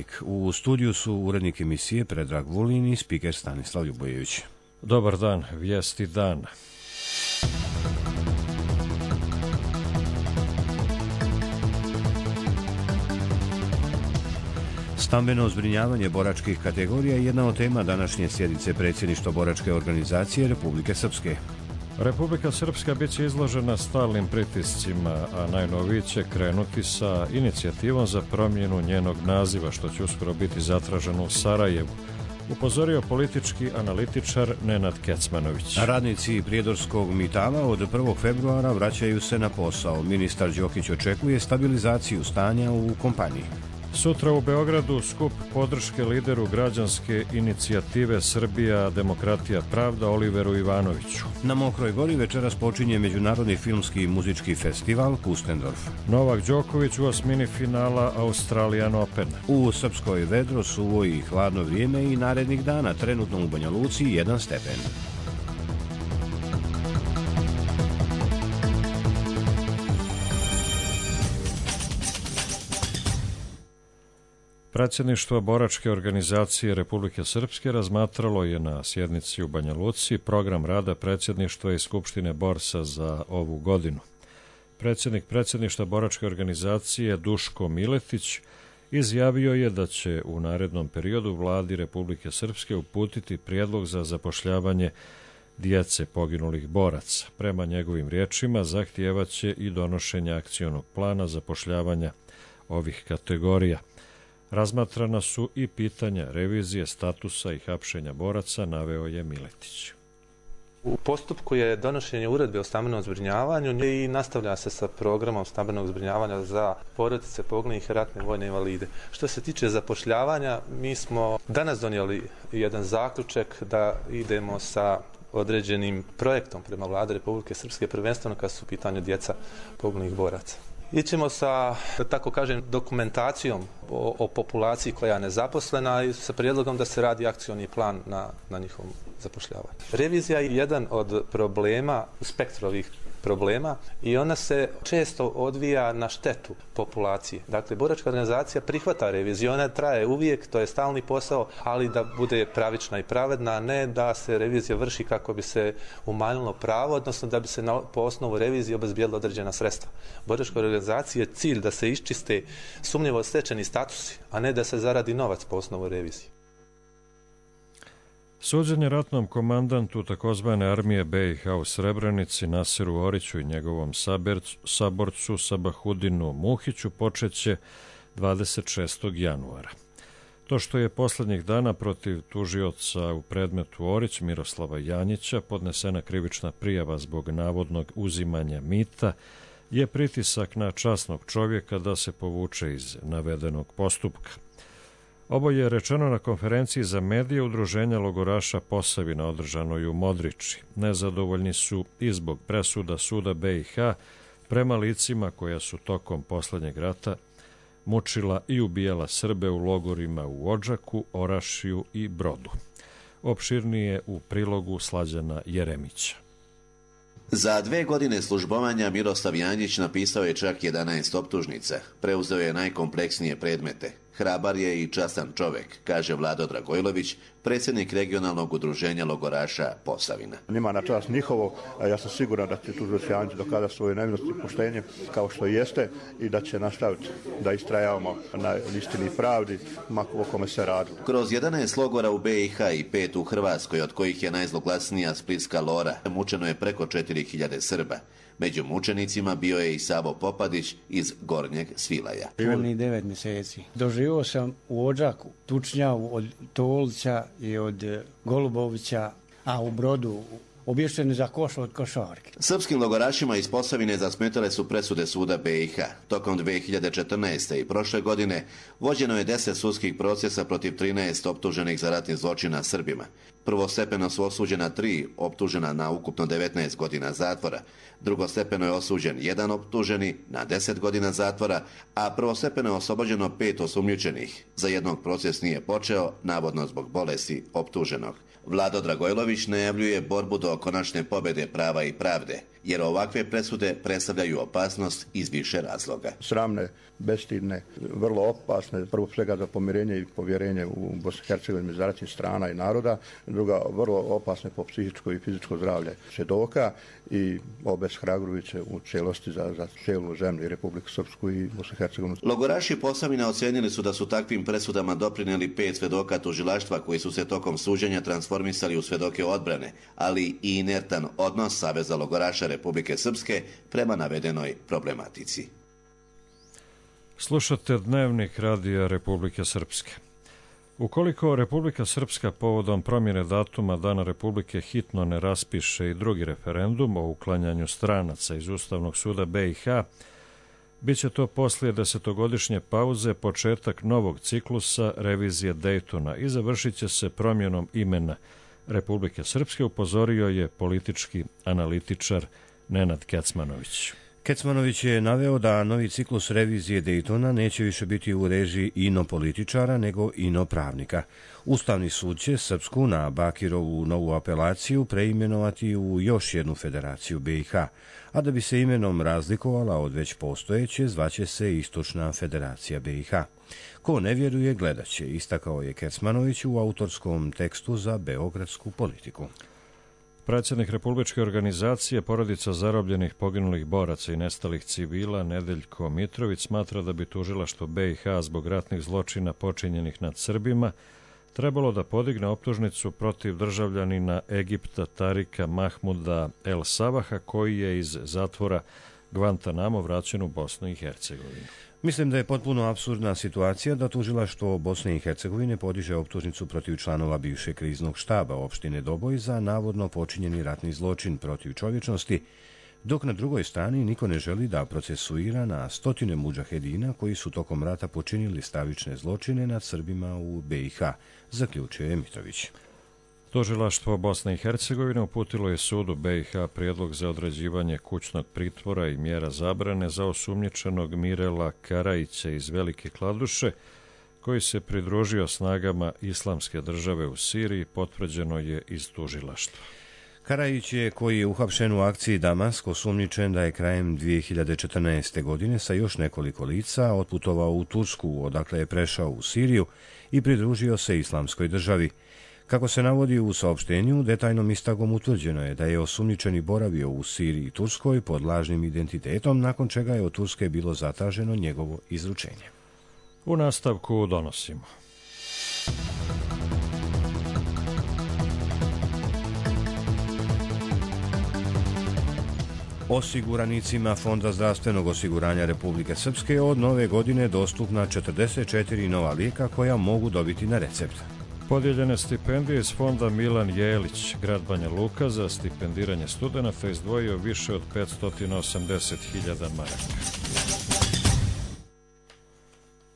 Dnevnik. U studiju su urednik emisije Predrag Vulin i spiker Stanislav Ljubojević. Dobar dan, vijesti dana. Stambeno zbrinjavanje boračkih kategorija je jedna od tema današnje sjednice predsjedništva boračke organizacije Republike Srpske. Republika Srpska bit će izložena stalnim pritiscima, a najnoviji će krenuti sa inicijativom za promjenu njenog naziva, što će uskoro biti zatraženo u Sarajevu, upozorio politički analitičar Nenad Kecmanović. Radnici Prijedorskog Mitala od 1. februara vraćaju se na posao. Ministar Đokić očekuje stabilizaciju stanja u kompaniji. Sutra u Beogradu skup podrške lideru građanske inicijative Srbija, demokratija, pravda Oliveru Ivanoviću. Na Mokroj Gori večeras počinje Međunarodni filmski i muzički festival Pustendorf. Novak Đoković u osmini finala Australian Open. U Srpskoj vedro, suvo i hladno vrijeme i narednih dana, trenutno u Banja Luci 1 stepen. Predsjedništvo boračke organizacije Republike Srpske razmatralo je na sjednici u Banja Luci program rada predsjedništva i Skupštine Borsa za ovu godinu. Predsjednik predsjedništva boračke organizacije Duško Miletić izjavio je da će u narednom periodu vladi Republike Srpske uputiti prijedlog za zapošljavanje djece poginulih boraca. Prema njegovim riječima zahtijevaće i donošenje akcionog plana zapošljavanja ovih kategorija. Razmatrana su i pitanja revizije statusa i hapšenja boraca, naveo je Miletić. U postupku je donošenje uredbe o stambenom zbrinjavanju i nastavlja se sa programom stambenog zbrinjavanja za porodice poginulih i ratne vojne invalide. Što se tiče zapošljavanja, mi smo danas donijeli jedan zaključak da idemo sa određenim projektom prema Vladi Republike Srpske, prvenstveno kad su u pitanju djeca poginulih boraca. Ićemo sa, da tako kažem, dokumentacijom o populaciji koja je nezaposlena i sa prijedlogom da se radi akcioni plan na njihovom zapošljavanju. Revizija je jedan od problema, spektru ovih problema i ona se često odvija na štetu populacije. Dakle, boračka organizacija prihvata reviziju, ona traje uvijek, to je stalni posao, ali da bude pravična i pravedna, a ne da se revizija vrši kako bi se umanjilo pravo, odnosno da bi se po osnovu revizije obezbijedila određena sredstva. Boračka organizacija je cilj da se iščiste sumnjivo stečeni statusi, a ne da se zaradi novac po osnovu revizije. Suđenje ratnom komandantu takozvane armije BiH u Srebrenici Nasiru Oriću i njegovom saborcu Sabahudinu Muhiću počeće 26. januara. To što je posljednjih dana protiv tužioca u predmetu Orić Miroslava Janjića podnesena krivična prijava zbog navodnog uzimanja mita je pritisak na časnog čovjeka da se povuče iz navedenog postupka. Ovo je rečeno na konferenciji za medije Udruženja logoraša Posavina održanoj u Modriči. Nezadovoljni su i zbog presuda suda BiH prema licima koja su tokom posljednjeg rata mučila i ubijala Srbe u logorima u Odžaku, Orašiju i Brodu. Opširnije u prilogu Slađana Jeremića. Za 2 godine službovanja Miroslav Janjić napisao je čak 11 optužnica. Preuzeo je najkompleksnije predmete. Hrabar je i častan čovjek, kaže Vlado Dragojlović, predsjednik regionalnog udruženja logoraša Posavina. Nima na čast njihovo, a ja sam siguran da će tužilac Janjić dokazati svoju nevinost i poštenje kao što jeste i da će nastaviti da istrajavamo na istini i pravdi, o kome se radi. Kroz 11 logora u BiH i 5 u Hrvatskoj, od kojih je najzloglasnija Splitska Lora, mučeno je preko 4000 Srba. Među mučenicima bio je i Savo Popadić iz Gornjeg Svilaja. Punih 9 mjeseci. Doživio sam u Odžaku tučnjavu od Tolića i od Golubovića, a u Brodu obješćeni za koš od košarke. Srpskim logorašima iz Posavine zasmetale su presude suda BiH. Tokom 2014. i prošle godine vođeno je 10 sudskih procesa protiv 13 optuženih za ratni zločina Srbima. Prvostepeno su osuđena 3 optužena na ukupno 19 godina zatvora. Drugostepeno je osuđen 1 optuženi na 10 godina zatvora, a prvostepeno je oslobođeno 5 osumnjičenih. Za jednog proces nije počeo, navodno zbog bolesti optuženog. Vlado Dragojlović najavljuje borbu do konačne pobjede prava i pravde. jer ovakve presude predstavljaju opasnost iz više razloga. Sramne, bestidne, vrlo opasne, prvo svega za pomirenje i povjerenje u Bosni i Hercegovini među ratnih strana i naroda, druga vrlo opasne po psihičko i fizičko zdravlje svjedoka i obeshrabrujuće u cijelosti za cijelu zemlju i Republiku Srpsku i Bosnu i Hercegovinu. Logoraši Posavina ocenili su da su takvim presudama doprinijeli 5 svedoka tužilaštva koji su se tokom suđenja transformisali u svedoke odbrane, ali i inertan odnos Saveza logoraša Republike Srpske prema navedenoj problematici. Slušate Dnevnik Radija Republike Srpske. Ukoliko Republika Srpska povodom promjene datuma Dana Republike hitno ne raspiše i drugi referendum o uklanjanju stranaca iz Ustavnog suda BiH, bit će to poslije 10-godišnje pauze početak novog ciklusa revizije Dejtona i završit će se promjenom imena Republike Srpske, upozorio je politički analitičar Nenad Kecmanović. Kecmanović je naveo da novi ciklus revizije Dejtona neće više biti u režiji inopolitičara nego inopravnika. Ustavni sud će Srpsku na Bakirovu novu apelaciju preimenovati u još jednu federaciju BiH, a da bi se imenom razlikovala od već postojeće, zvaće se Istočna federacija BiH. Ko ne vjeruje, gledat će, istakao je Kecmanović u autorskom tekstu za Beogradsku politiku. Predsjednik Republičke organizacije Porodica zarobljenih, poginulih boraca i nestalih civila Nedeljko Mitrović smatra da bi tužilaštvo BiH zbog ratnih zločina počinjenih nad Srbima trebalo da podigne optužnicu protiv državljanina Egipta Tarika Mahmuda El Savaha, koji je iz zatvora Guantanamo vraćen u Bosnu i Hercegovinu. Mislim da je potpuno apsurdna situacija da tužilaštvo Bosne i Hercegovine podiže optužnicu protiv članova bivšeg kriznog štaba opštine Doboj za navodno počinjeni ratni zločin protiv čovječnosti, dok na drugoj strani niko ne želi da procesuira na stotine mudžahedina koji su tokom rata počinili stravične zločine nad Srbima u BiH, zaključio je Mitrović. Tužilaštvo Bosne i Hercegovine uputilo je sudu BiH prijedlog za određivanje kućnog pritvora i mjera zabrane za osumnjičenog Mirela Karajića iz Velike Kladuše, koji se pridružio snagama Islamske države u Siriji, potvrđeno je iz tužilaštva. Karajić je, koji je uhapšen u akciji Damask, osumnjičen da je krajem 2014. godine sa još nekoliko lica otputovao u Tursku, odakle je prešao u Siriju i pridružio se Islamskoj državi. Kako se navodi u saopštenju, detaljnom istragom utvrđeno je da je osumnjičeni boravio u Siriji i Turskoj pod lažnim identitetom, nakon čega je od Turske bilo zatraženo njegovo izručenje. U nastavku donosimo. Osiguranicima Fonda zdravstvenog osiguranja Republike Srpske od nove godine dostupna 44 nova lijeka koja mogu dobiti na recept. Podijeljene stipendije iz fonda Milan Jelić, grad Banja Luka, za stipendiranje studenata izdvojio više od 580.000 maraka.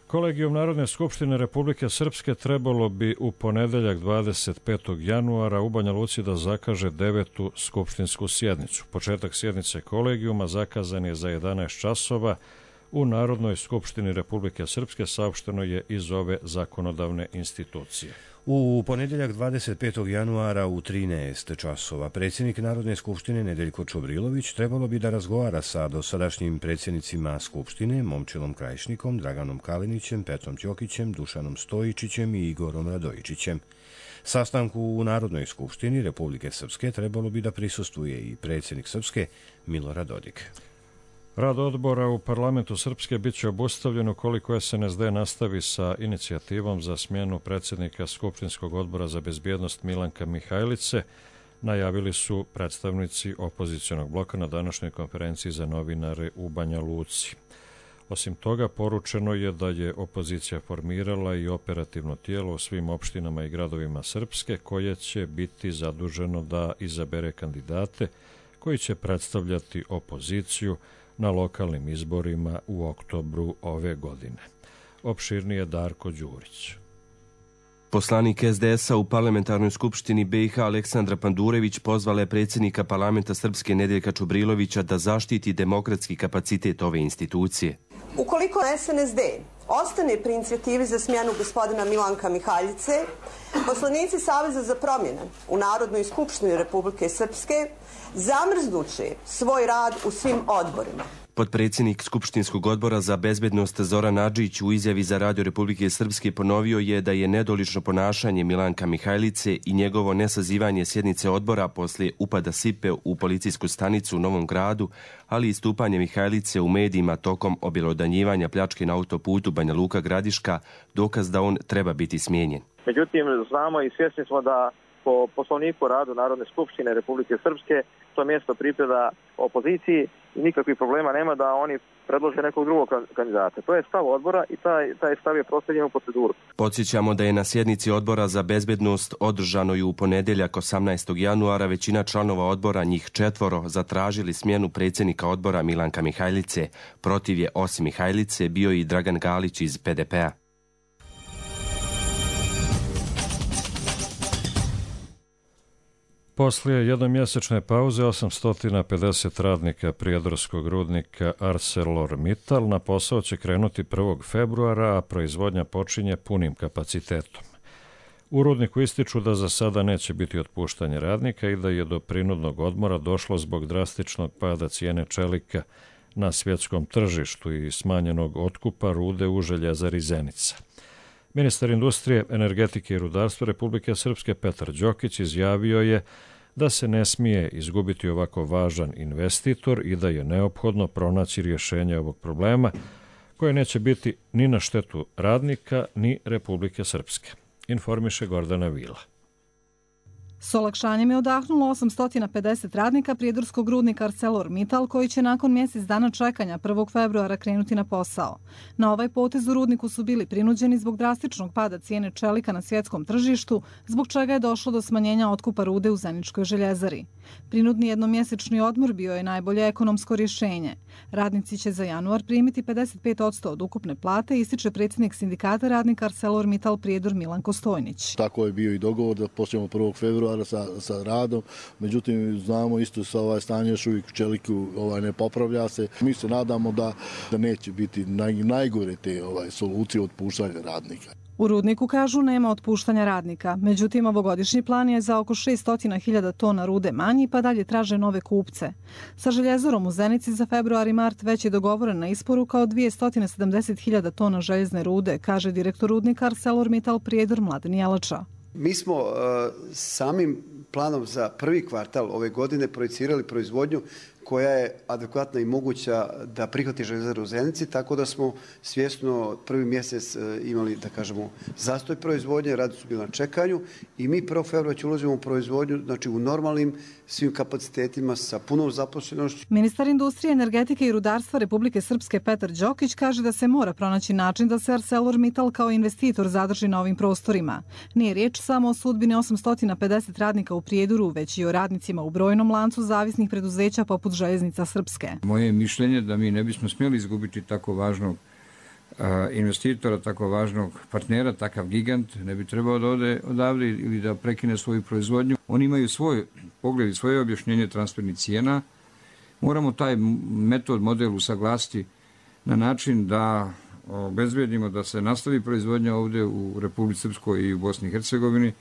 Kolegijum Narodne skupštine Republike Srpske trebalo bi u ponedeljak 25. januara u Banja Luci da zakaže 9. skupštinsku sjednicu. Početak sjednice kolegijuma zakazan je za 11 časova u Narodnoj skupštini Republike Srpske, saopšteno je iz ove zakonodavne institucije. U ponedjeljak 25. januara u 13 časova predsjednik Narodne skupštine Nedeljko Čobrilović trebalo bi da razgovara sa dosadašnjim predsjednicima Skupštine Momčilom Krajišnikom, Draganom Kalinićem, Petrom Ćokićem, Dušanom Stojičićem i Igorom Radojičićem. Sastanku u Narodnoj skupštini Republike Srpske trebalo bi da prisustvuje i predsjednik Srpske Milorad Dodik. Rad odbora u parlamentu Srpske bit će obustavljen ukoliko SNSD nastavi sa inicijativom za smjenu predsjednika Skupštinskog odbora za bezbjednost Milanka Mihajlice, najavili su predstavnici opozicionog bloka na današnjoj konferenciji za novinare u Banja Luci. Osim toga, poručeno je da je opozicija formirala i operativno tijelo u svim opštinama i gradovima Srpske, koje će biti zaduženo da izabere kandidate koji će predstavljati opoziciju na lokalnim izborima u oktobru ove godine. Opširnije Darko Đurić. Poslanik SDS-a u parlamentarnoj skupštini BiH Aleksandra Pandurević pozvala je predsjednika parlamenta Srpske Nedeljka Čubrilovića da zaštiti demokratski kapacitet ove institucije. Ukoliko SNSD ostane pri inicijativi za smjenu gospodina Milanka Mihaljice, poslanici Saveza za promjene u Narodnoj skupštini Republike Srpske zamrznuće svoj rad u svim odborima. Potpredsjednik Skupštinskog odbora za bezbednost Zoran Adžić u izjavi za Radio Republike Srpske ponovio je da je nedolično ponašanje Milanka Mihajlice i njegovo nesazivanje sjednice odbora poslije upada sipe u policijsku stanicu u Novom Gradu, ali i istupanje Mihajlice u medijima tokom objelodanjivanja pljačke na autoputu Banja Luka Gradiška dokaz da on treba biti smijenjen. Međutim, znamo i svjesni smo da po poslovniku radu Narodne skupštine Republike Srpske to mjesto pripada opoziciji i nikakvih problema nema da oni predlože nekog drugog kandidata. To je stav odbora i taj stav je proslijeđen u proceduru. Podsjećamo da je na sjednici odbora za bezbednost održanoj u ponedjeljak 18. januara većina članova odbora, njih 4, zatražili smjenu predsjednika odbora Milanka Mihajlice. Protiv je osim Mihajlice bio i Dragan Galić iz PDP-a. Poslije jednomjesečne pauze 850 radnika prijedorskog rudnika ArcelorMittal na posao će krenuti 1. februara, a proizvodnja počinje punim kapacitetom. U rudniku ističu da za sada neće biti otpuštanje radnika i da je do prinudnog odmora došlo zbog drastičnog pada cijene čelika na svjetskom tržištu i smanjenog otkupa rude u željezari Zenica. Ministar industrije, energetike i rudarstva Republike Srpske Petar Đokić izjavio je da se ne smije izgubiti ovako važan investitor i da je neophodno pronaći rješenje ovog problema koje neće biti ni na štetu radnika ni Republike Srpske, informiše Gordana Vila. S olakšanjem je odahnulo 850 radnika prijedorskog rudnika ArcelorMittal koji će nakon mjesec dana čekanja 1. februara krenuti na posao. Na ovaj potez u rudniku su bili prinuđeni zbog drastičnog pada cijene čelika na svjetskom tržištu, zbog čega je došlo do smanjenja otkupa rude u Zeničkoj željezari. Prinudni jednomjesečni odmor bio je najbolje ekonomsko rješenje. Radnici će za januar primiti 55% od ukupne plate, ističe predsjednik sindikata radnika ArcelorMittal Prijedor Milan Kostojnić. Tako je bio i dogovor da počnemo 1. februara sa radom, međutim znamo isto sa ovaj stanje još uvijek čeliku ne popravlja se. Mi se nadamo da neće biti najgore te solucije otpuštanja radnika. U rudniku kažu nema otpuštanja radnika, međutim ovogodišnji plan je za oko 600.000 tona rude manji pa dalje traže nove kupce. Sa željezarom u Zenici za februar i mart već je dogovorena isporuka od 270.000 tona željezne rude, kaže direktor rudnika ArcelorMittal Prijedor Mladen Jelača. Mi smo samim planom za prvi kvartal ove godine projicirali proizvodnju koja je adekvatna i moguća da prihvati željezaru u Zenici, tako da smo svjesno prvi mjesec imali, da kažemo, zastoj proizvodnje, radnici su bili na čekanju i mi 1. februara će ulazimo u proizvodnju, znači u normalnim svim kapacitetima sa punom zaposlenošću. Ministar industrije, energetike i rudarstva Republike Srpske Petar Đokić kaže da se mora pronaći način da se ArcelorMittal kao investitor zadrži na ovim prostorima. Nije riječ samo o sudbini 850 radnika u Prijedoru, već i o radnicima u brojnom lancu zavisnih preduzeća poput Željeznica Srpske. Moje mišljenje da mi ne bismo smjeli izgubiti tako važnog investitora, tako važnog partnera, takav gigant, ne bi trebao da ode odavde ili da prekine svoju proizvodnju. Oni imaju svoj pogled i svoje objašnjenje transfernih cijena. Moramo taj model usaglasiti na način da obezbedimo da se nastavi proizvodnja ovdje u Republici Srpskoj i u Bosni i Hercegovini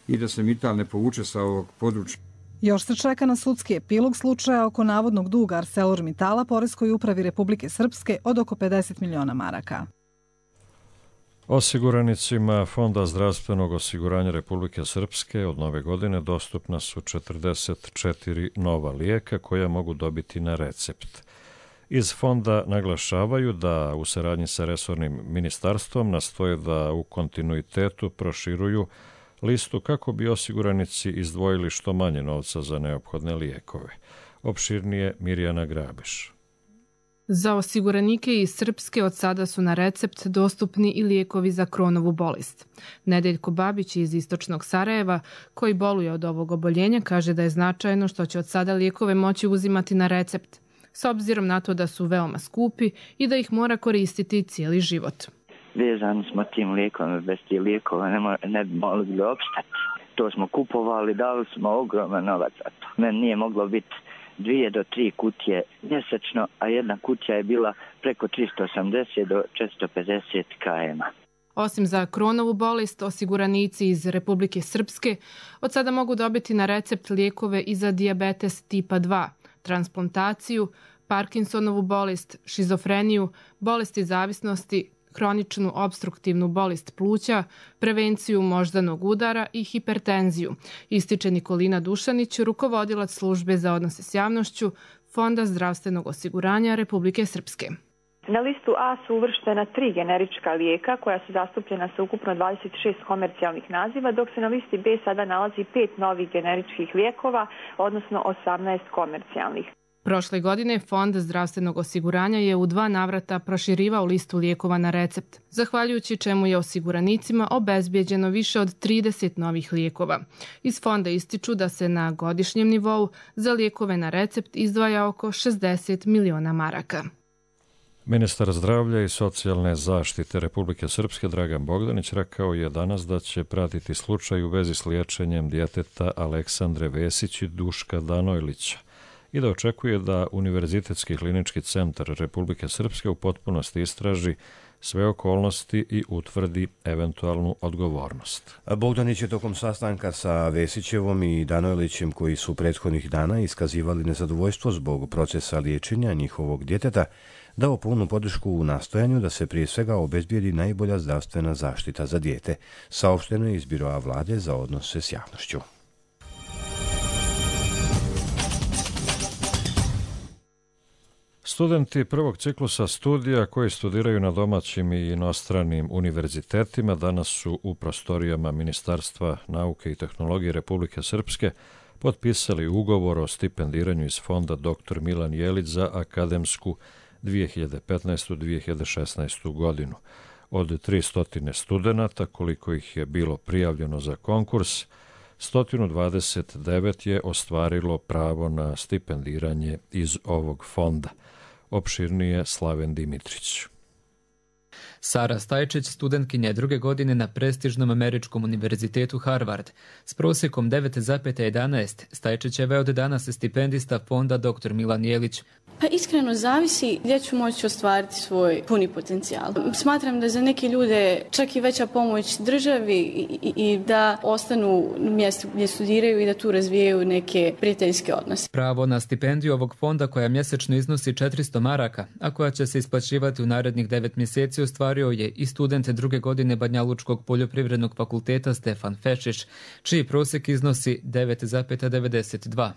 i da se Mittal ne povuče sa ovog područja. Još se čeka na sudski epilog slučaja oko navodnog duga ArcelorMittala Poreskoj upravi Republike Srpske od oko 50 miliona maraka. Osiguranicima Fonda zdravstvenog osiguranja Republike Srpske od nove godine dostupna su 44 nova lijeka koja mogu dobiti na recept. Iz fonda naglašavaju da u saradnji sa resornim ministarstvom nastoje da u kontinuitetu proširuju listu kako bi osiguranici izdvojili što manje novca za neophodne lijekove. Opširnije Mirjana Grabeš. Za osiguranike iz Srpske od sada su na recept dostupni i lijekovi za Kronovu bolest. Nedeljko Babić iz istočnog Sarajeva, koji boluje od ovog oboljenja, kaže da je značajno što će od sada lijekove moći uzimati na recept, s obzirom na to da su veoma skupi i da ih mora koristiti cijeli život. vezani smo tim lijekom, bez tih lijekova ne bi mogli opstati. To smo kupovali, dali smo ogroman novac za to. Meni nije moglo biti 2 do 3 kutije mjesečno, a jedna kutija je bila preko 380 do 450 km. Osim za Crohnovu bolest, osiguranici iz Republike Srpske od sada mogu dobiti na recept lijekove i za dijabetes tipa 2, transplantaciju, Parkinsonovu bolest, šizofreniju, bolesti zavisnosti, hroničnu obstruktivnu bolest pluća, prevenciju moždanog udara i hipertenziju, ističe Nikolina Dušanić, rukovodilac službe za odnose s javnošću Fonda zdravstvenog osiguranja Republike Srpske. Na listu A su uvrštena 3 generička lijeka koja su zastupljena sa ukupno 26 komercijalnih naziva, dok se na listi B sada nalazi 5 novih generičkih lijekova, odnosno 18 komercijalnih. Prošle godine Fond zdravstvenog osiguranja je u 2 navrata proširivao listu lijekova na recept, zahvaljujući čemu je osiguranicima obezbijeđeno više od 30 novih lijekova. Iz fonda ističu da se na godišnjem nivou za lijekove na recept izdvaja oko 60 miliona maraka. Ministar zdravlja i socijalne zaštite Republike Srpske Dragan Bogdanić rekao je danas da će pratiti slučaj u vezi s liječenjem djeteta Aleksandre Vesić i Duška Danojlića i da očekuje da Univerzitetski klinički centar Republike Srpske u potpunosti istraži sve okolnosti i utvrdi eventualnu odgovornost. Bogdanić je tokom sastanka sa Vesićevom i Danojlićem, koji su prethodnih dana iskazivali nezadovoljstvo zbog procesa liječenja njihovog djeteta, dao punu podršku u nastojanju da se prije svega obezbijedi najbolja zdravstvena zaštita za dijete, saopšteno je iz Biroa vlade za odnose s javnošću. Studenti prvog ciklusa studija koji studiraju na domaćim i inostranim univerzitetima danas su u prostorijama Ministarstva nauke i tehnologije Republike Srpske potpisali ugovor o stipendiranju iz fonda Dr. Milan Jelić za akademsku 2015-2016 godinu. Od 300 studenata, koliko ih je bilo prijavljeno za konkurs, 129 je ostvarilo pravo na stipendiranje iz ovog fonda. Opširnije Slaven Dimitrić. Sara Stajčić, studentkinja 2. godine na prestižnom američkom univerzitetu Harvard. S prosjekom 9,11 Stajčićeva je od danas stipendista fonda Dr. Milan Jelić. Pa iskreno zavisi gdje ću moći ostvariti svoj puni potencijal. Smatram da za neke ljude čak i veća pomoć državi i da ostanu u mjestu gdje studiraju i da tu razvijaju neke prijateljske odnose. Pravo na stipendiju ovog fonda, koja mjesečno iznosi 400 maraka, a koja će se isplaćivati u narednih 9 mjeseci, ostvario je i student 2. godine Banjalučkog poljoprivrednog fakulteta Stefan Fešić, čiji prosjek iznosi 9,92.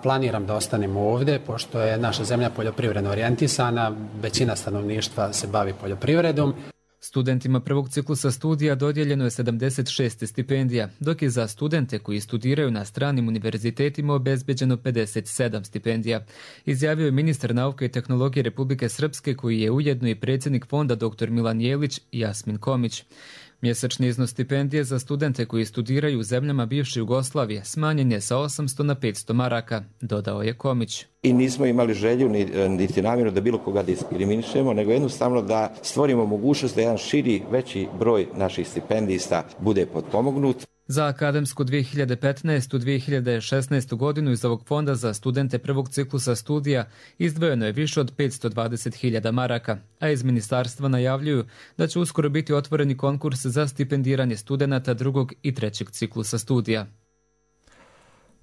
Planiram da ostanem ovdje, pošto je naša zemlja poljoprivredno orijentisana, većina stanovništva se bavi poljoprivredom. Studentima prvog ciklusa studija dodijeljeno je 76 stipendija, dok je za studente koji studiraju na stranim univerzitetima obezbeđeno 57 stipendija, izjavio je ministar nauke i tehnologije Republike Srpske, koji je ujedno i predsjednik fonda Dr. Milan Jelić, Jasmin Komić. Mjesečni iznos stipendije za studente koji studiraju u zemljama bivše Jugoslavije smanjen je sa 800 na 500 maraka, dodao je Komić. I nismo imali želju niti namjeru da bilo koga diskriminišemo, nego jednostavno da stvorimo mogućnost da jedan širi, veći broj naših stipendista bude potpomognut. Za akademsku 2015-2016 godinu iz ovog fonda za studente prvog ciklusa studija izdvojeno je više od 520.000 maraka, a iz ministarstva najavljuju da će uskoro biti otvoreni konkurs za stipendiranje studenata drugog i trećeg ciklusa studija.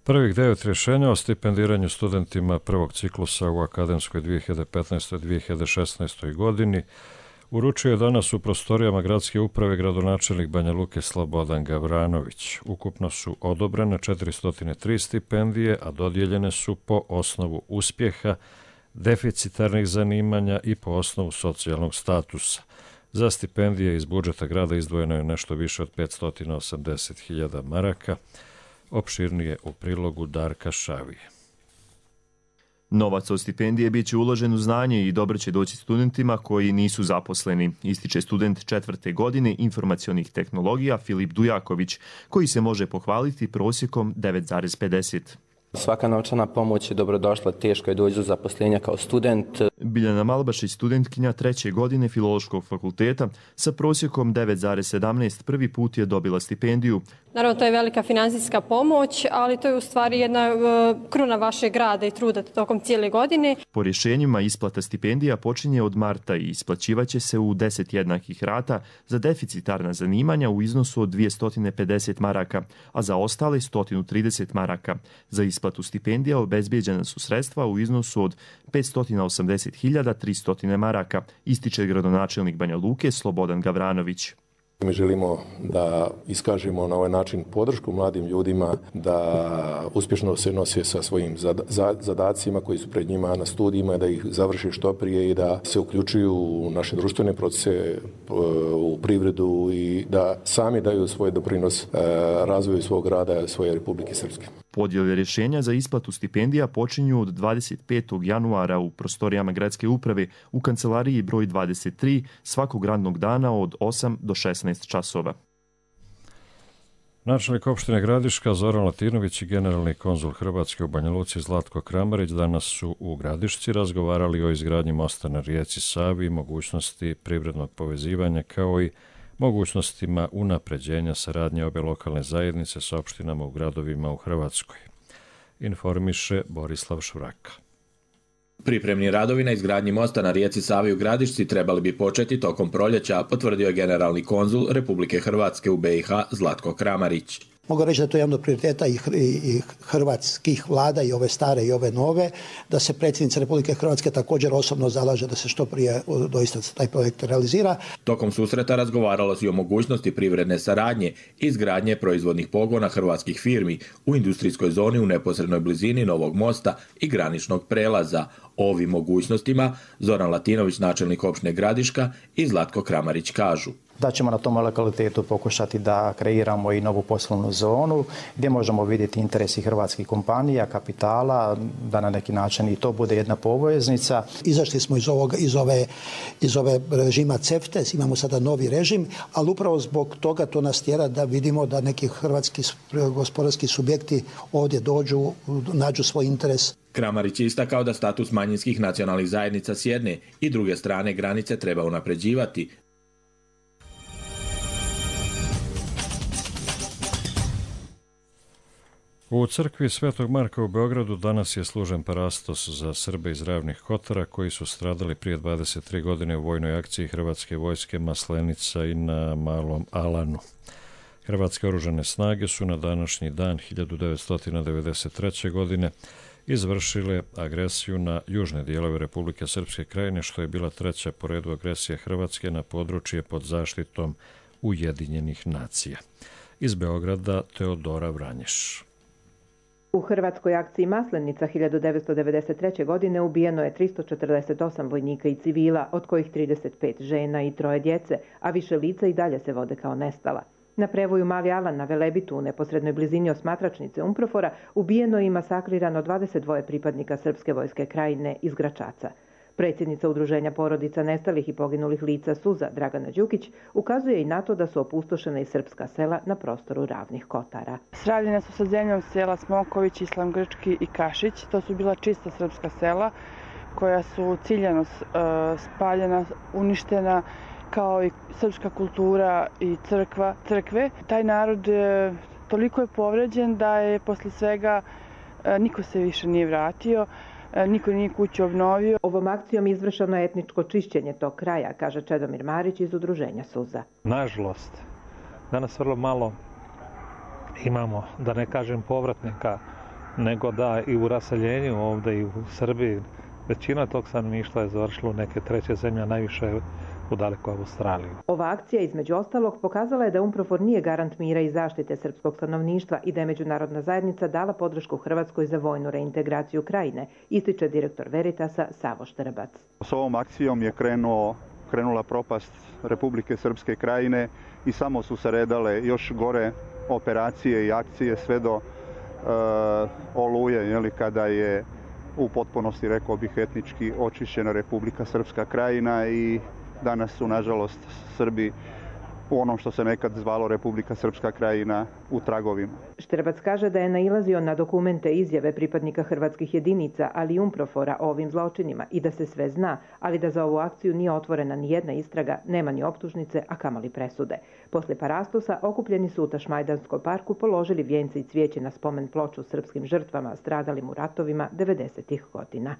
Prvih 9 rješenja o stipendiranju studentima prvog ciklusa u akademskoj 2015-2016 godini uručio je danas u prostorijama gradske uprave gradonačelnik Banja Luke Slobodan Gavranović. Ukupno su odobrene 403 stipendije, a dodijeljene su po osnovu uspjeha, deficitarnih zanimanja i po osnovu socijalnog statusa. Za stipendije iz budžeta grada izdvojeno je nešto više od 580.000 maraka, opširnije u prilogu Darka Šavije. Novac od stipendije bit će uložen u znanje i dobro će doći studentima koji nisu zaposleni, ističe student 4. godine informacionih tehnologija Filip Dujaković, koji se može pohvaliti prosjekom 9,50. Svaka novčana pomoć je dobrodošla, teško je doći do zaposlenja kao student. Biljana Malbašić, studentkinja 3. godine Filološkog fakulteta, sa prosjekom 9,17 prvi put je dobila stipendiju. Naravno, to je velika finansijska pomoć, ali to je u stvari jedna kruna vašeg rada i truda tokom cijele godine. Po rješenjima isplata stipendija počinje od marta i isplaćivaće se u 10 jednakih rata za deficitarna zanimanja u iznosu od 250 maraka, a za ostale 130 maraka. Za isplatu stipendija obezbijeđena su sredstva u iznosu od 580.300 maraka, ističe gradonačelnik Banja Luke Slobodan Gavranović. Mi želimo da iskažemo na ovaj način podršku mladim ljudima da uspješno se nose sa svojim zadacima koji su pred njima na studijima, da ih završe što prije i da se uključuju u naše društvene procese, u privredu i da sami daju svoj doprinos razvoju svog rada svoje Republike Srpske. Podjele rješenja za isplatu stipendija počinju od 25. januara u prostorijama gradske uprave u kancelariji broj 23 svakog radnog dana od 8 do 16 časova. Načelnik opštine Gradiška Zoran Latinović i generalni konzul Hrvatske u Banja Luci Zlatko Kramarić danas su u Gradišci razgovarali o izgradnji mosta na rijeci Savi i mogućnosti privrednog povezivanja kao i mogućnostima unapređenja saradnje obe lokalne zajednice s opštinama u gradovima u Hrvatskoj. Informiše Borislav Šuraka. Pripremni radovi na izgradnji mosta na rijeci Savi u Gradišci trebali bi početi tokom proljeća, potvrdio je generalni konzul Republike Hrvatske u BiH Zlatko Kramarić. Mogu reći da je to jedan od prioriteta i hrvatskih vlada, i ove stare i ove nove, da se predsjednica Republike Hrvatske također osobno zalaže da se što prije doista taj projekt realizira. Tokom susreta razgovaralo se i o mogućnosti privredne saradnje i izgradnje proizvodnih pogona hrvatskih firmi u industrijskoj zoni u neposrednoj blizini novog mosta i graničnog prelaza. O ovim mogućnostima Zoran Latinović, načelnik opštine Gradiška, i Zlatko Kramarić kažu da ćemo na tom lokalitetu pokušati da kreiramo i novu poslovnu zonu gdje možemo vidjeti interesi hrvatskih kompanija, kapitala, da na neki način i to bude jedna poveznica. Izašli smo iz ove režima CEFTA, imamo sada novi režim, ali upravo zbog toga to nas tjera da vidimo da neki hrvatski gospodarski subjekti ovdje dođu, nađu svoj interes. Kramarić je istakao da status manjinskih nacionalnih zajednica s jedne i druge strane granice treba unapređivati. U crkvi Svetog Marka u Beogradu danas je služen parastos za Srbe iz Ravnih Kotara koji su stradali prije 23 godine u vojnoj akciji Hrvatske vojske Maslenica i na Malom Alanu. Hrvatske oružane snage su na današnji dan 1993. godine izvršile agresiju na južne dijelove Republike Srpske Krajine, što je bila treća po redu agresija Hrvatske na područje pod zaštitom Ujedinjenih nacija. Iz Beograda Teodora Vranješ. U hrvatskoj akciji Maslenica 1993. godine ubijeno je 348 vojnika i civila, od kojih 35 žena i 3 djece, a više lica i dalje se vode kao nestala. Na prevoju Mali Alan na Velebitu u neposrednoj blizini osmatračnice Umprofora ubijeno i masakrirano 22 pripadnika Srpske vojske Krajine iz Gračaca. Predsjednica Udruženja porodica nestalih i poginulih lica Suza, Dragana Đukić, ukazuje i na to da su opustošena i srpska sela na prostoru Ravnih Kotara. Sravljena su sa zemljom sela Smoković, Islam Grčki i Kašić. To su bila čista srpska sela koja su ciljano spaljena, uništena, kao i srpska kultura i crkve. Taj narod toliko je povređen da je posle svega niko se više nije vratio. Niko nije kuću obnovio. Ovom akcijom izvršeno je etničko čišćenje tog kraja, kaže Čedomir Marić iz Udruženja Suza. Nažalost, danas vrlo malo imamo, da ne kažem povratnika, nego da i u raseljenju ovdje i u Srbiji većina tog stanovništva je završila u neke treće zemlje, najviše u dalekoj Australiji. Ova akcija između ostalog pokazala je da Umprofor nije garant mira i zaštite srpskog stanovništva i da je međunarodna zajednica dala podršku Hrvatskoj za vojnu reintegraciju Krajine, ističe direktor Veritasa Savo Štrbac. S ovom akcijom je krenula propast Republike Srpske Krajine i samo su se redale još gore operacije i akcije sve do Oluje, kada je u potpunosti, rekao bih, etnički očišćena Republika Srpska Krajina i danas su, nažalost, Srbi u onom što se nekad zvalo Republika Srpska Krajina u tragovima. Štrbac kaže da je nailazio na dokumente izjave pripadnika hrvatskih jedinica, ali i UNPROFOR-a o ovim zločinima i da se sve zna, ali da za ovu akciju nije otvorena ni jedna istraga, nema ni optužnice, a kamoli presude. Posle parastosa okupljeni su u Tašmajdanskom parku položili vijence i cvijeće na spomen ploču srpskim žrtvama stradalim u ratovima 90-ih godina.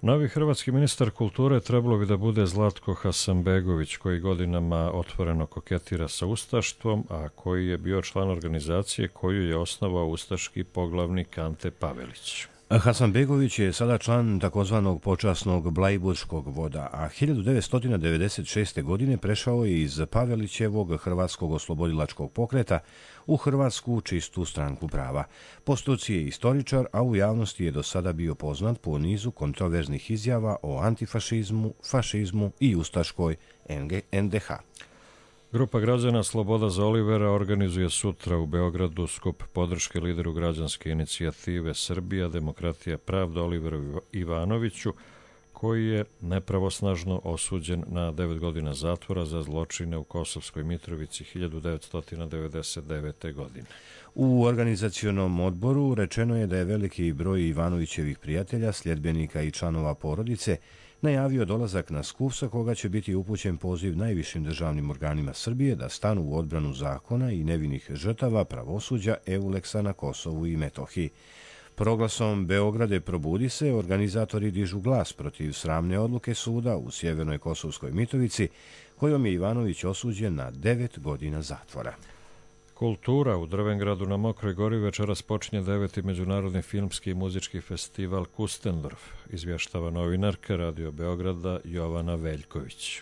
Novi hrvatski ministar kulture trebalo bi da bude Zlatko Hasanbegović, koji godinama otvoreno koketira sa ustaštvom, a koji je bio član organizacije koju je osnovao ustaški poglavnik Ante Pavelić. Hasanbegović je sada član takozvanog počasnog Blajburškog voda, a 1996. godine prešao je iz Pavelićevog Hrvatskog oslobodilačkog pokreta u Hrvatsku čistu stranku prava. Po struci je istoričar, a u javnosti je do sada bio poznat po nizu kontroverznih izjava o antifašizmu, fašizmu i ustaškoj NDH. Grupa građana Sloboda za Olivera organizuje sutra u Beogradu skup podrške lideru građanske inicijative Srbija, demokratija, pravda Oliveru Ivanoviću, koji je nepravosnažno osuđen na 9 godina zatvora za zločine u Kosovskoj Mitrovici 1999. godine. U organizacionom odboru rečeno je da je veliki broj Ivanovićevih prijatelja, sljedbenika i članova porodice najavio dolazak na skup sa koga će biti upućen poziv najvišim državnim organima Srbije da stanu u odbranu zakona i nevinih žrtava pravosuđa Euleksa na Kosovu i Metohiji. Proglasom Beograde probudi se, organizatori dižu glas protiv sramne odluke suda u sjevernoj Kosovskoj Mitrovici, kojom je Ivanović osuđen na 9 godina zatvora. Kultura u Drvengradu na Mokroj Gori večeras počinje 9. međunarodni filmski i muzički festival Kustendorf, izvještava novinarka Radio Beograda Jovana Veljković.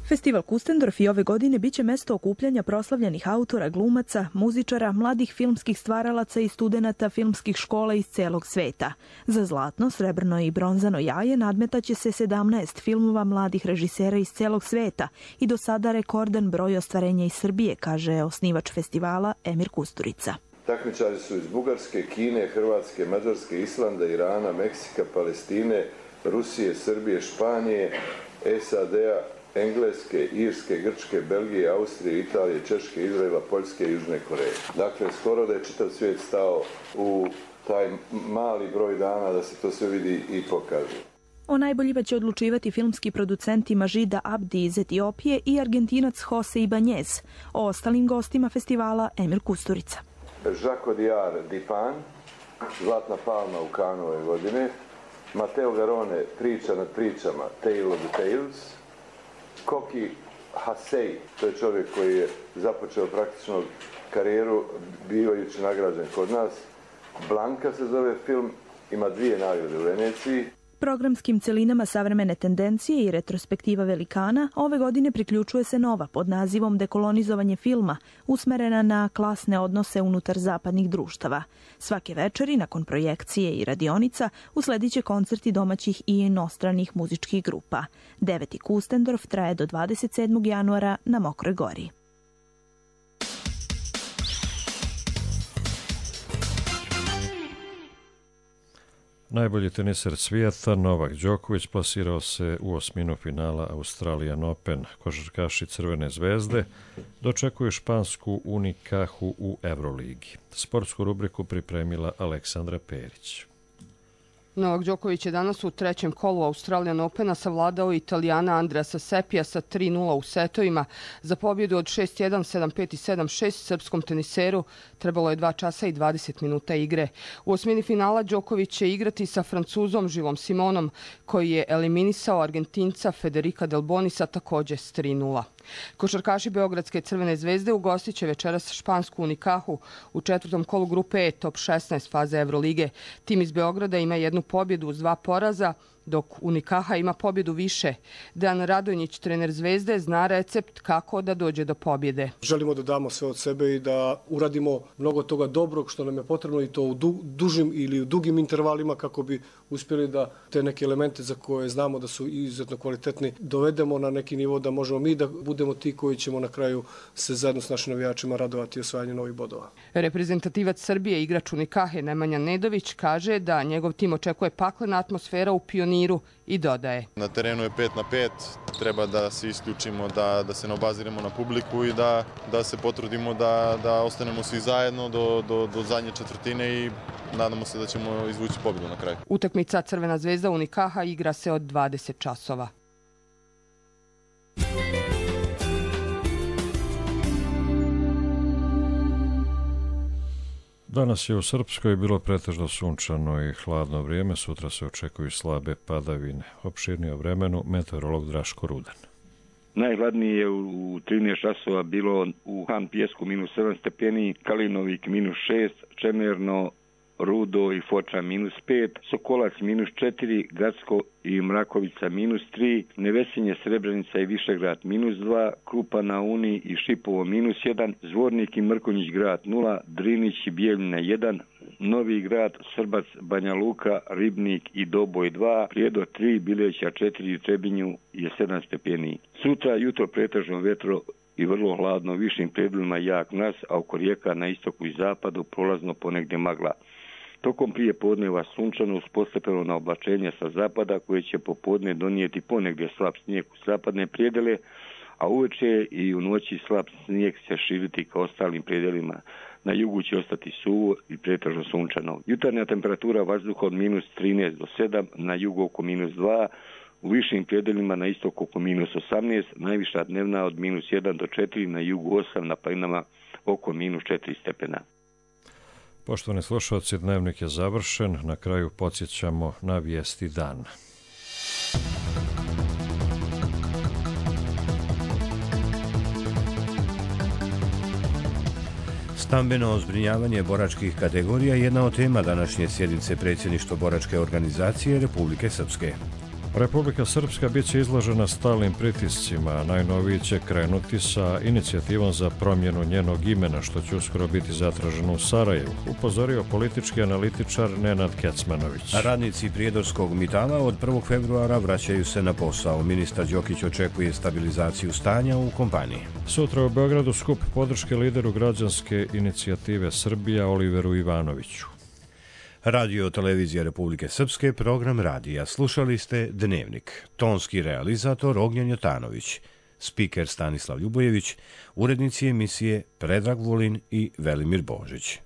Festival Kustendorf i ove godine biće mesto okupljanja proslavljenih autora, glumaca, muzičara, mladih filmskih stvaralaca i studenata filmskih škola iz celog sveta. Za zlatno, srebrno i bronzano jaje nadmetaće se 17 filmova mladih režisera iz celog sveta i do sada rekordan broj ostvarenja iz Srbije, kaže osnivač festivala Emir Kusturica. Takmičari su iz Bugarske, Kine, Hrvatske, Mađarske, Islanda, Irana, Meksika, Palestine, Rusije, Srbije, Španije, SAD-a, Engleske, Irske, Grčke, Belgije, Austrije, Italije, Češke, Izraela, Poljske i Južne Koreje. Dakle, skoro da je čitav svijet stao u taj mali broj dana da se to sve vidi i pokaže. O najboljima će odlučivati filmski producenti Mažida Abdi iz Etiopije i Argentinac Jose Ibanez. O ostalim gostima festivala Emir Kusturica. Jacques Audiard Dipan, Zlatna palma u Kanu ove godine, Matteo Garone, Priča nad pričama, Tale of the Tales, Koki Hasej, to je čovjek koji je započeo praktično karijeru bivajući nagrađen kod nas. Blanka se zove film, ima 2 nagrade u Veneciji. Programskim celinama savremene tendencije i retrospektiva velikana ove godine priključuje se nova pod nazivom Dekolonizovanje filma, usmerena na klasne odnose unutar zapadnih društava. Svake večeri, nakon projekcije i radionica, usledit će koncerti domaćih i inostranih muzičkih grupa. 9. Kustendorf traje do 27. januara na Mokroj Gori. Najbolji teniser svijeta Novak Đoković plasirao se u osminu finala Australian Open. Košarkaši Crvene zvezde dočekuju špansku Unicahu u Euroligi. Sportsku rubriku pripremila Aleksandra Perić. Novak Đoković je danas u trećem kolu Australian Opena savladao Italijana Andreasa Sepija sa 3-0 u setovima. Za pobjedu od 6-1, 7-5 i 7-6 srpskom teniseru trebalo je 2 časa i 20 minuta igre. U osmini finala Đoković će igrati sa Francuzom Gilom Simonom, koji je eliminisao Argentinca Federica Del Bonisa također s 3-0. Košarkaši Beogradske Crvene zvezde ugostit će večeras špansku Unicahu u četvrtom kolu grupe E top 16 faze Evrolige. Tim iz Beograda ima jednu pobjedu uz 2 poraza, dok Unicaha ima pobjedu više. Dejan Radonjić, trener Zvezde, zna recept kako da dođe do pobjede. Želimo da damo sve od sebe i da uradimo mnogo toga dobrog što nam je potrebno i to u dužim ili u dugim intervalima kako bi uspjeli da te neke elemente za koje znamo da su izuzetno kvalitetni dovedemo na neki nivo da možemo mi da budemo ti koji ćemo na kraju se zajedno s našim navijačima radovati osvajanju novih bodova. Reprezentativac Srbije, igrač Unicahe Nemanja Nedović, kaže da njegov tim očekuje paklena atmosfera u Pioniru miru i dodaje. Na terenu je 5 na 5, treba da se isključimo, da se ne obaziremo na publiku i da se potrudimo da ostanemo svi zajedno do zadnje četvrtine i nadamo se da ćemo izvući pobjedu na kraju. Utakmica Crvena zvezda Unikaha igra se od 20 časova. Danas je u Srpskoj bilo pretežno sunčano i hladno vrijeme, sutra se očekuju slabe padavine. Opširnije o vremenu meteorolog Draško Rudan. Najhladnije je u 13 časova bilo u Han Pijesku -7 stepeni, Kalinovik -6, Čemerno, Rudo i Foča -5, Sokolac -4, Gacko i Mrakovica -3, Nevesinje, Srebrenica i Višegrad -2, Krupa na Uni i Šipovo -1, Zvornik i Mrkonjić grad 0, Drinić i Bijeljina 1, Novi grad, Srbac, Banja Luka, Ribnik i Doboj 2, Prijedor 3, Bileća 4 i Trebinju je 7 stepeni. Sutra jutro pretežno vetro i vrlo hladno, višim predjelima jak mraz, a oko rijeka na istoku i zapadu prolazno ponegdje magla. Tokom prije podneva sunčano uz postepeno na oblačenje sa zapada koje će popodne donijeti ponegdje slab snijeg u zapadne predjele, a uveče i u noći slab snijeg se širiti ka ostalim predjelima. Na jugu će ostati suvo i pretežno sunčano. Jutarnja temperatura vazduha od -13 do 7, na jugu oko -2, u višim predjelima na istoku oko -18, najviša dnevna od -1 do 4, na jugu 8, na planinama oko -4 stepena. Poštovani slušalci, dnevnik je završen. Na kraju podsjećamo na vijesti dana. Stambeno zbrinjavanje boračkih kategorija je jedna od tema današnje sjednice predsjedništva boračke organizacije Republike Srpske. Republika Srpska bit će izložena stalnim pritiscima. Najnoviji će krenuti sa inicijativom za promjenu njenog imena, što će uskoro biti zatraženo u Sarajevu, upozorio politički analitičar Nenad Kecmanović. Radnici Prijedorskog Mitala od 1. februara vraćaju se na posao. Ministar Đokić očekuje stabilizaciju stanja u kompaniji. Sutra u Beogradu skup podrške lideru građanske inicijative Srbija Oliveru Ivanoviću. Radio Televizija Republike Srpske, program radija. Slušali ste Dnevnik. Tonski realizator Ognjen Jotanović. Spiker Stanislav Ljubojević. Urednici emisije Predrag Vulin i Velimir Božić.